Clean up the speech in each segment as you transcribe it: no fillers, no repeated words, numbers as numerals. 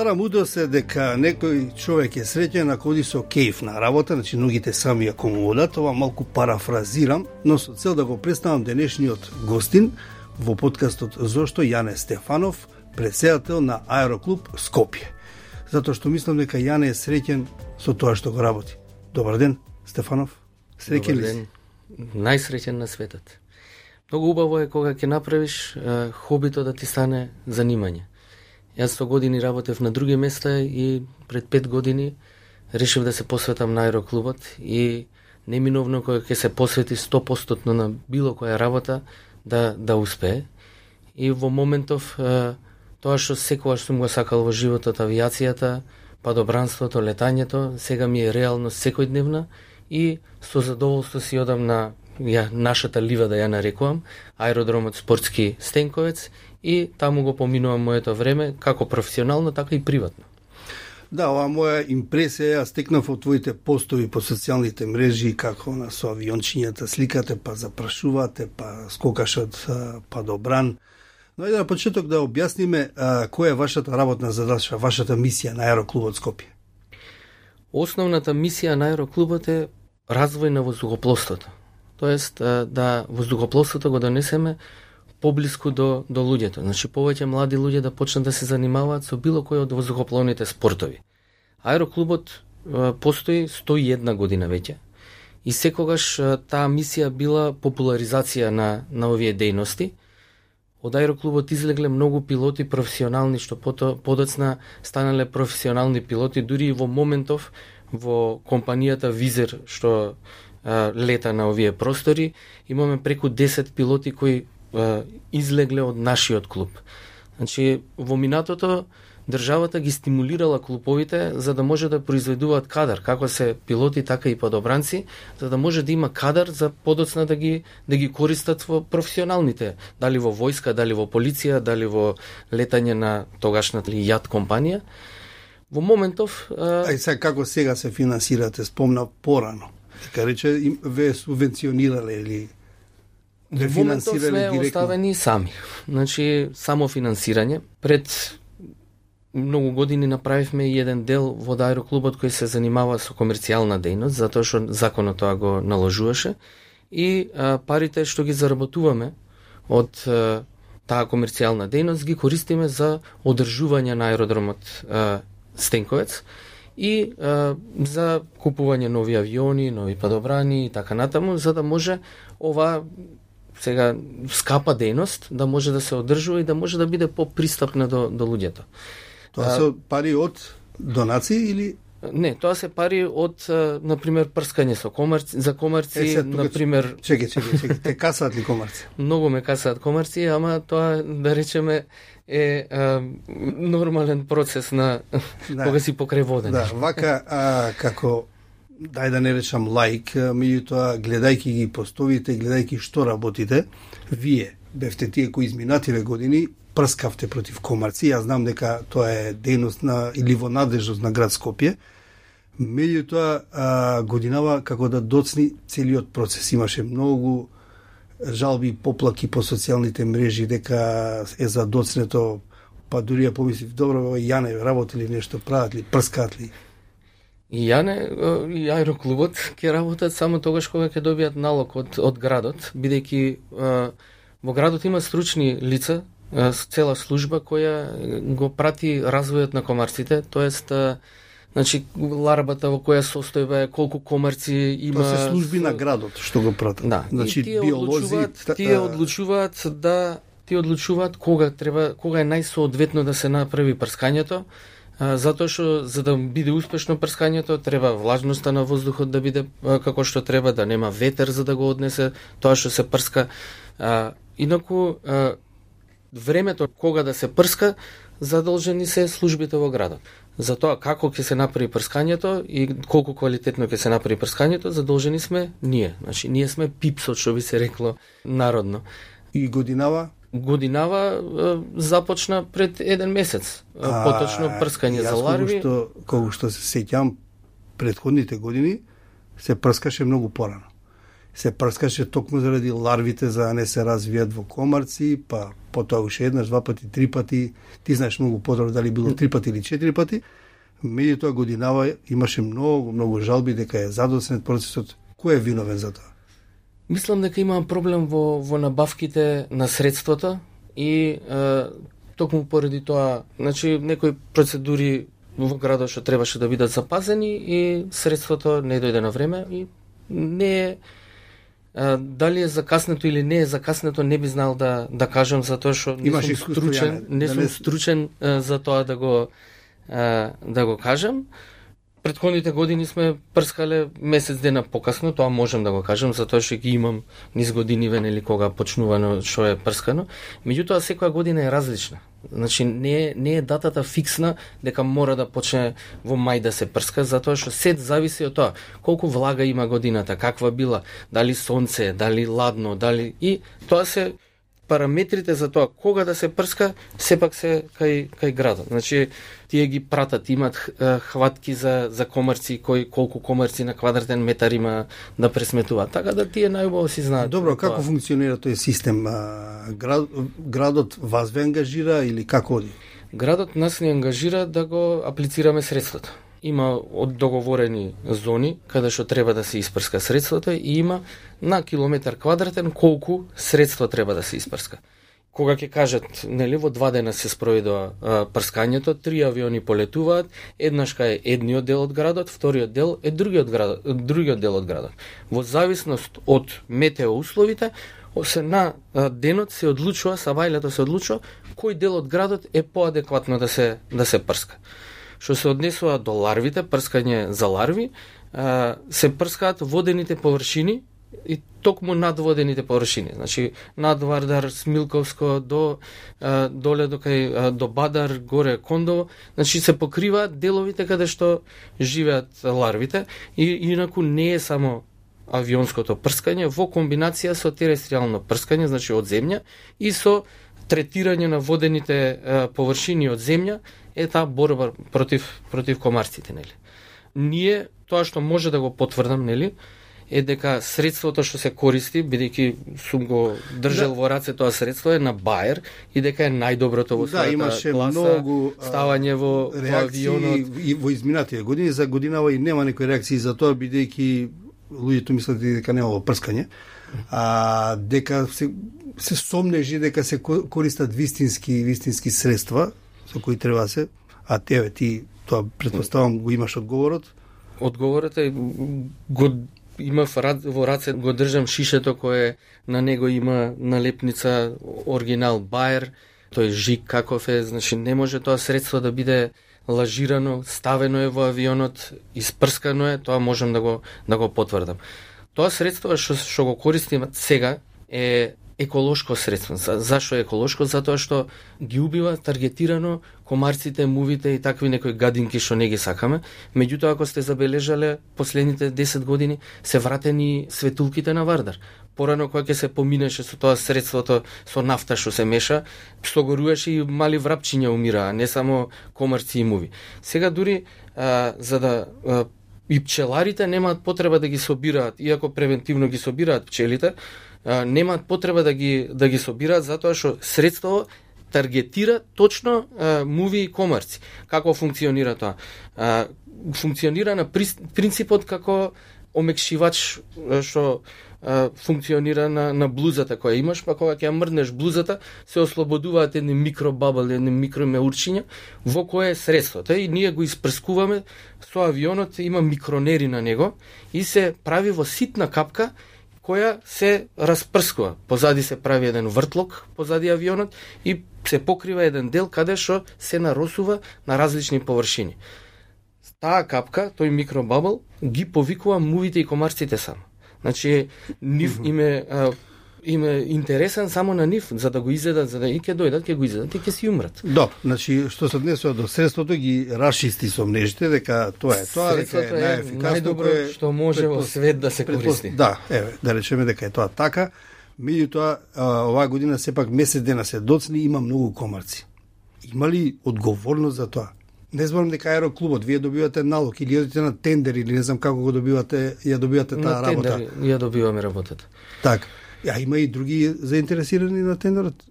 Стара мудрост е дека некој човек е среќен ако оди со кејф на работа, значи ногите сами ако му одат. Ова малку парафразирам, но со цел да го представам денешниот гостин во подкастот Зошто, Јане Стефанов, претседател на Аероклуб Скопје. Затоа што мислам дека Јане е среќен со тоа што го работи. Добар ден, Стефанов. Среќен ли си? Најсреќен на светот. Многу убаво е кога ќе направиш хобито да ти стане занимање. Јас 100 години работев на други места и пред 5 години решив да се посветам на аероклубот и неминовно кога ќе се посвети 100% на било која работа да успее. И во моментов тоа што секогаш сум го сакал во животот, авиацијата, падобранството, летањето, сега ми е реалност секојдневна и со задоволство си одам на нашата лива, да ја нарекувам, аеродромот Спортски Стенковец, и таму го поминувам моето време, како професионално, така и приватно. Да, ова моја импресија ја стекнав од твоите постови по социјалните мрежи, како на со авиончињата сликате, па запрашувате, па скокашот, па добран. Но ајде на почеток да објасниме која е вашата работна задача, вашата мисија на Аероклубот Скопје. Основната мисија на Аероклубот е развој на воздухопловството. Тоест да воздухопловството го донесеме поблиску до луѓето. Значи повеќе млади луѓе да почнат да се занимаваат со било кој од воздухопловните спортови. Аероклубот постои 101 година веќе и секогаш таа мисија била популаризација на овие дејности. Од аероклубот излегле многу пилоти професионални што подоцна станале професионални пилоти, дури и во моментов во компанијата Визер што лета на овие простори, имаме преку 10 пилоти кои излегле од нашиот клуб. Значи, во минатото државата ги стимулирала клубовите за да може да произведуваат кадар, како се пилоти, така и падобранци, за да може да има кадар за подоцна да ги користат во професионалните, дали во војска, дали во полиција, дали во летање на тогашната јат компанија. Во моментов... сега како сега се финансирате, спомна порано. Дека рече, ве субвенционирале или ве финансирале директно? Во моментов сме оставени сами. Значи, само финансирање. Пред многу години направивме и еден дел во аероклубот кој се занимава со комерцијална дејност, затоа што законот тоа го наложуваше. И парите што ги заработуваме од таа комерцијална дејност ги користиме за одржување на аеродромот Стенковец и за купување нови авиони, нови падобрани и така натаму, за да може ова сега скапа дејност да може да се одржува и да може да биде попристапна до луѓето. Тоа се пари од донации или? Не, тоа се пари од, например, прскање со комарци, за комарци, например... Чекај, те касаат ли комарци? Многу ме касаат комарци, ама тоа, да речеме, е нормален процес на кога си покрај водење. Да, вака, како, дај да не речам лаик, меѓутоа, гледајќи ги постовите, гледајќи што работите, вие бевте тие кои изминативе години прскавте против комарци. Јас знам дека тоа е дејност или во надлежност на град Скопје. Меѓутоа, годинава како да доцни целиот процес. Имаше многу жалби и поплаки по социјалните мрежи дека е задоцнето, па дури ја помислив, добро, Јане, работи ли нешто, прават ли, прскаат ли? И Јане и аероклубот ќе работат само тогаш кога ќе добијат налог од градот, бидејќи во градот има стручни лица, цела служба која го прати развојот на комарците, тоест значи ларбата во која состојба е, колку комарци има. Тоа се служби на градот што го пратат. Да, значи биолози, тие одлучуваат кога е најсоодветно да се направи прскањето, затоа што за да биде успешно прскањето треба влажноста на воздухот да биде како што треба, да нема ветер за да го однесе тоа што се прска. Инаку времето кога да се прска задолжени се службите во градот. Затоа како ќе се направи прскањето и колку квалитетно ќе се направи прскањето, задолжени сме ние. Значи ние сме пипсот што би се рекло народно. И годинава започна пред еден месец. Поточно прскање за ларви. Колку што се сеќам, предходните години се прскаше многу порано. се прскаше токму заради ларвите за да не се развијат во комарци, па потоа уште еднаш, 2 пати, 3 пати, ти знаеш многу подобро дали било 3 пати или 4 пати. Меѓутоа годинава имаше многу жалби дека е задоснет процесот. Кој е виновен за тоа? Мислам дека има проблем во набавките на средствата и токму поради тоа, значи некои процедури во градот што требаше да бидат запазени и средството не дојде на време и не е дали е закаснето или не е закаснето, не би знал да кажам, затоа што не сум стручен за тоа да го кажам. Претходните години сме прскале месец дена покасно, тоа можам да го кажам, затоа што ги имам низ години венели кога почнувано што е прскано. Меѓутоа секоја година е различна. Значи не е датата фиксна дека мора да почне во мај да се прска, затоа што се зависи од тоа колку влага има годината, каква била, дали сонце, дали ладно, дали и тоа се параметрите за тоа кога да се прска, сепак се кај градот. Значи, тие ги пратат, имат хватки за комарци, колку комарци на квадратен метар има да пресметуваат. Така да тие најубаво си знаат. Добро, како функционира тој систем? Градот вас ве ангажира или како оди? Градот нас не ангажира да го аплицираме средството. Има договорени зони каде што треба да се испрска средството и има на километар квадратен колку средства треба да се испрска. Кога ќе кажат, нели, во 2 дена се спроведува прскањето, 3 авиони полетуваат, еднаш кај едниот дел од градот, вториот дел е другиот дел од градот. Во зависност од метеоусловите, се на денот се одлучува, савајлето се одлучува кој дел од градот е поадекватно да се прска. Што се однесува до ларвите, прскање за ларви, се прскаат водените површини и токму над водените површини. Значи, над Вардар, Смилковско, доле до Бадар, горе Кондово, значи се покриваат деловите каде што живеат ларвите и инаку не е само авионското прскање во комбинација со терестријално прскање, значи од земја, и со третирање на водените површини од земја, е таа борба против комарците, нели. Ние тоа што може да го потврдам, нели, е дека средството што се користи, бидејќи сум го држал во раце тоа средство, е на Баер и дека е најдоброто во својата класа, ставање во авионот. И во изминатите години, за годинава и нема некои реакции за тоа, бидејќи луѓето мислат дека немало прскање, дека се сомнежи дека се користат вистински средства со кои треба се, а ти тоа претпоставам го имаш одговорот? Одговорот е го имав во раце, го држам шишето кое на него има налепница оригинал Баер, тој жик каков е, значи не може тоа средство да биде лажирано, ставено е во авионот, испрскано е, тоа можам да го потврдам. Тоа средство што го користим сега е еколошко средство. Зашо е еколошко? Затоа што ги убива таргетирано комарците, мувите и такви некои гадинки што не ги сакаме. Меѓутоа, ако сте забележале, последните 10 години се вратени светулките на Вардар. Порано кога ќе се поминеше со тоа средството со нафта што се меша, согоруваше и мали врапчиња умираа, не само комарци и муви. Сега дури за да и пчеларите немаат потреба да ги собираат, иако превентивно ги собираат пчелите, немаат потреба да ги собираат затоа што средство таргетира точно муви и комарци. Како функционира тоа? Функционира на принципот како омекшивач што функционира на блузата која имаш, па кога ќе мрднеш блузата, се ослободуваат едни микробабл, едни микромеурчиња во кое е средството. И ние го испрскуваме со авионот, има микронери на него и се прави во ситна капка која се распрскува. Позади се прави еден вртлок позади авионот и се покрива еден дел каде што се наросува на различни површини. Таа капка, тој микробабл, ги повикува мувите и комарците само. Значи, нив име интересен само на нив, за да го изедат, за да и ќе дојдат, ќе го изедат и ќе си умрат. Да, значи, што се однесува до средството, ги расчисти со мрежите, дека тоа е тоа, дека е најефикасно. Најдобро што може во свет да се користи. Да, да речеме дека е тоа така. Меѓутоа, оваа година сепак месец дена се доцни, има многу комарци. Има ли одговорност за тоа? Не зборам дека аероклубот, вие добивате налог или одите на тендер или не знам како го добивате, ја добивате таа работа. На тендер ја добиваме работата. Так. Има и други заинтересирани на тендерот?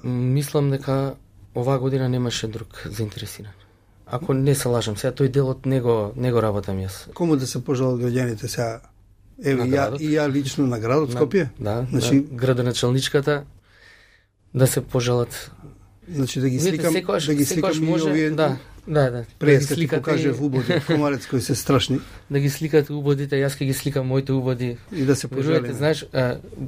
Мислам дека оваа година немаше друг заинтересиран. Ако не се лажам, сега тој дел од него работам јас. Кому да се пожалат граѓаните сега? Еве ја лично на градот Скопје? Да, значи градоначалничката да се пожалат. Значи да ги сликам, секојаш, да ги сликам и овие. Да. Прес да покаже убоди комарец кои се страшни. Да ги сликате убодите, јас ќе ги сликам моите убоди. И да се пожалиме. Знаеш,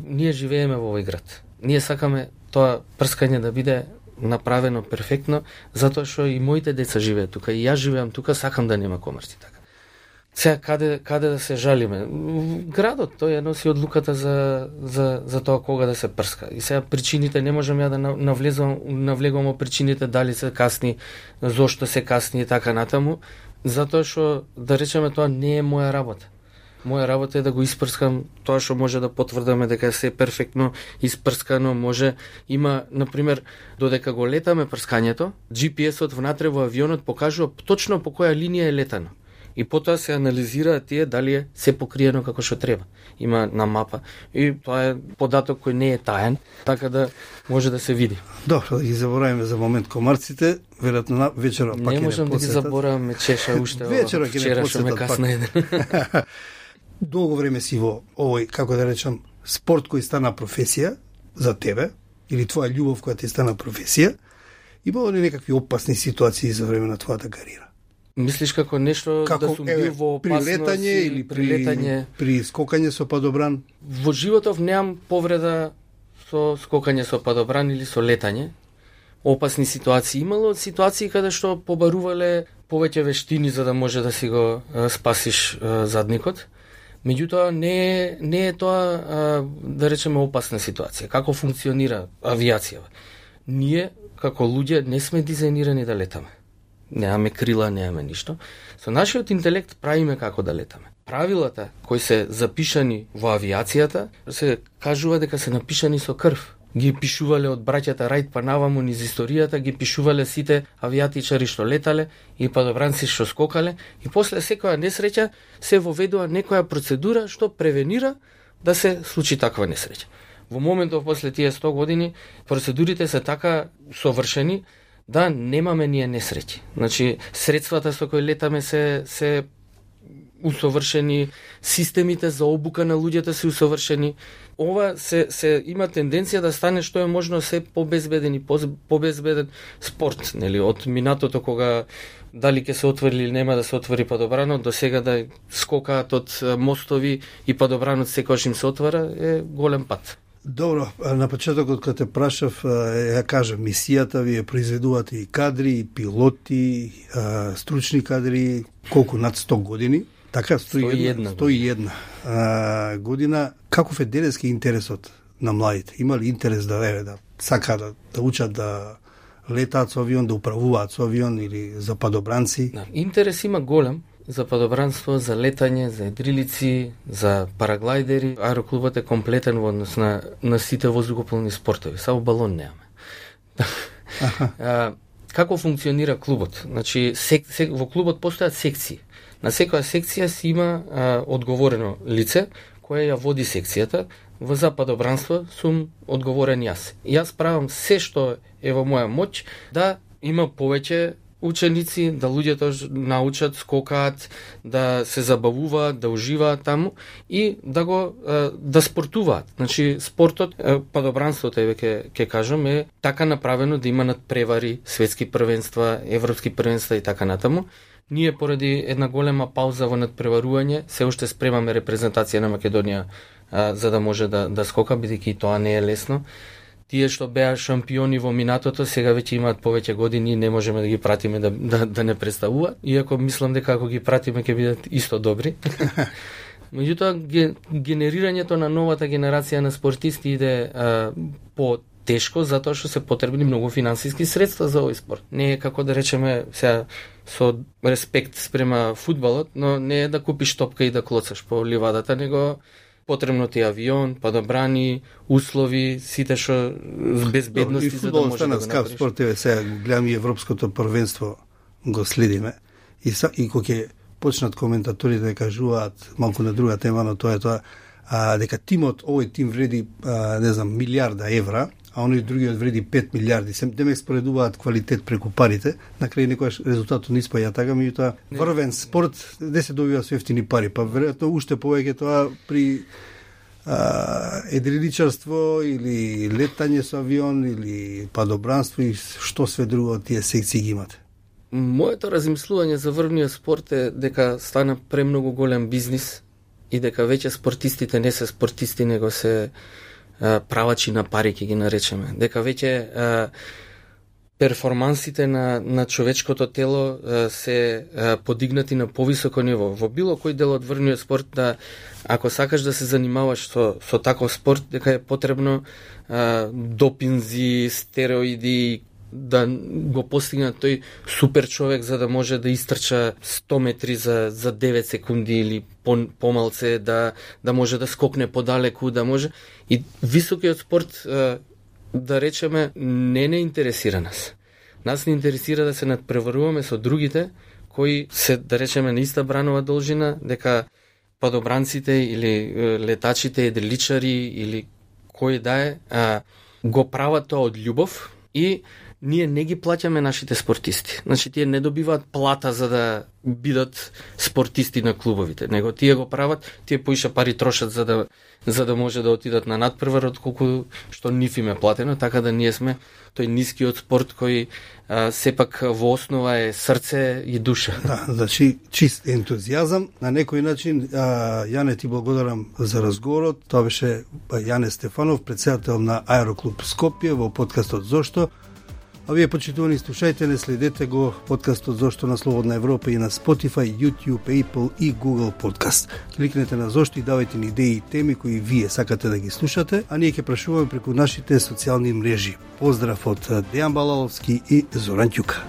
ние живееме во овој град. Ние сакаме тоа прскање да биде направено перфектно, затоа што и моите деца живеат тука, и јас живеам тука, сакам да нема комарци така. Сега каде да се жалиме? Градот тој ја носи одлуката за тоа кога да се прска. И сега причините не можам ја да навлегувам во причините дали се касни, зошто се касни и така натаму, затоа што да речеме тоа не е моја работа. Моја работа е да го испрскам тоа што може да потврдаме дека се перфектно испрскано, може има например додека го летаме прскањето, GPS-от внатре во авионот покажува точно по која линија е летано. И потоа се анализираат тие дали е се покриено како што треба. Има на мапа и тоа е податок кој не е таен, така да може да се види. Добро, да ги забораваме за момент комарците, веројатно вечера пак не можам да ги забораваме, чеша уште вечера ќе не посетат касно еден. Долго време си во овој, како да речам, спорт кој стана професија за тебе, или твоја љубов која ти стана професија, имало ли некакви опасни ситуации за време на твојата кариера? Мислиш како нешто да сум бил во опасност при летање или при скокање со падобран? Во животов немам повреда со скокање со падобран или со летање. Опасни ситуации имало, ситуации каде што побарувале повеќе вештини за да може да си го спасиш задникот. Меѓутоа не е тоа да речеме опасна ситуација. Како функционира авиацијава? Ние како луѓе не сме дизајнирани да летаме. Немаме крила, немаме ништо. Со нашиот интелект правиме како да летаме. Правилата кои се запишани во авиацијата се кажува дека се напишани со крв. Ги пишувале од браќата Рајт па наваму низ историјата, ги пишувале сите авиатичари што летале и падобранци што скокале и после секоја несреќа се воведува некоја процедура што превенира да се случи таква несреќа. Во моментов после тие 100 години процедурите се така совршени да немаме ние несреќи. Значи, средствата со кои летаме се усовршени, системите за обука на луѓето се усовршени. Ова се има тенденција да стане што е можно се побезбеден и побезбеден спорт, нели, од минатото кога дали ќе се отвори или нема да се отвори падобранот, до сега да скокаат од мостови и падобранот секогаш им се отвара, е голем пат. Добро, на почетокот кога те прашав, ја кажам, мисијата ви е произведувате и кадри, и пилоти, стручни кадри, колку над 100 години, така 101 година. Каков е денески интересот на младите? Има ли интерес да сака да учат да летаат со авион, да управуваат со авион или за падобранци? Да, интерес има голем за падобранство, за летање, за едрилици, за параглайдери. Аероклубот е комплетен во однос на сите воздухопловни спортови. Само балон немаме. Како функционира клубот? Значи, во клубот постојат секции. На секоја секција си има одговорено лице кое ја води секцијата. За падобранство сум одговорен јас. Јас правам се што е во моја моќ да има повеќе ученици, да луѓето научат, скокаат, да се забавуваат, да уживаат таму и да спортуваат. Значи спортот, падобранството ќе кажам, е така направено да има надпревари, светски првенства, европски првенства и така натаму. Ние поради една голема пауза во надпреварување се уште спремаме репрезентација на Македонија за да може да скока, бидејќи тоа не е лесно. Тие што беа шампиони во минатото, сега веќе имаат повеќе години и не можеме да ги пратиме да не представуваат, иако мислам дека ако ги пратиме ќе бидат исто добри. Меѓутоа, генерирањето на новата генерација на спортисти иде по-тешко, затоа што се потребни многу финансиски средства за овој спорт. Не е како да речеме, сега со респект спрема фудбалот, но не е да купиш топка и да клоцаш по ливадата, него потребно ти авион, падобрани, услови, сите што безбедности за да може да го направиш. Фудбал стана скап спорт, сега гледам и европското првенство го следиме и кога ќе почнат коментаторите да кажуваат малку на друга тема, но тоа е тоа дека тимот, овој тим вреди не знам милиарда евра, а оној другиот вреди 5 милиарди. Демек споредуваат квалитет преку парите, на крај некојаш резултатот не испаѓа така, меѓутоа врвен спорт де се добива со ефтини пари, па веројатно уште повеќе тоа при едриличарство или летање со авион или падобранство и што све друго тие секции ги имате. Моето размислување за врвниот спорт е дека стана премногу голем бизнис и дека веќе спортистите не се спортисти, него се правачи на пари, ќе ги наречеме. Дека веќе перформансите на човечкото тело се подигнати на повисоко ниво. Во било кој дел од врвниот спорт, ако сакаш да се занимаваш со таков спорт, дека е потребно допинзи, стероиди, да го постигнат тој супер човек за да може да истрча 100 метри за 9 секунди или помалце, да може да скокне подалеку, да може. И високиот спорт, да речеме, не интересира нас. Нас не интересира да се надпреваруваме со другите кои се, да речеме, на иста бранова должина, дека падобранците или летачите, едриличари или кој да е, го прават тоа од љубов и ние не ги плаќаме нашите спортисти. Значи, тие не добиваат плата за да бидат спортисти на клубовите, него тие го прават, тие поише пари трошат за да може да отидат на надпревар, отколку што нив им е платено, така да ние сме тој нискиот спорт кој сепак во основа е срце и душа. Да, значи чист ентузијазам. На некој начин, Јане, ти благодарам за разговорот. Тоа беше Јане Стефанов, председател на Аероклуб Скопје во подкастот Зошто. А вие, почитувани слушајте, не следете го подкастот Зошто на Слободна Европа и на Spotify, YouTube, Apple и Google Podcast. Кликнете на Зошто и давајте ни идеи и теми кои вие сакате да ги слушате, а ние ќе прашуваме преку нашите социјални мрежи. Поздрав од Дејан Балаловски и Зоран Ќука.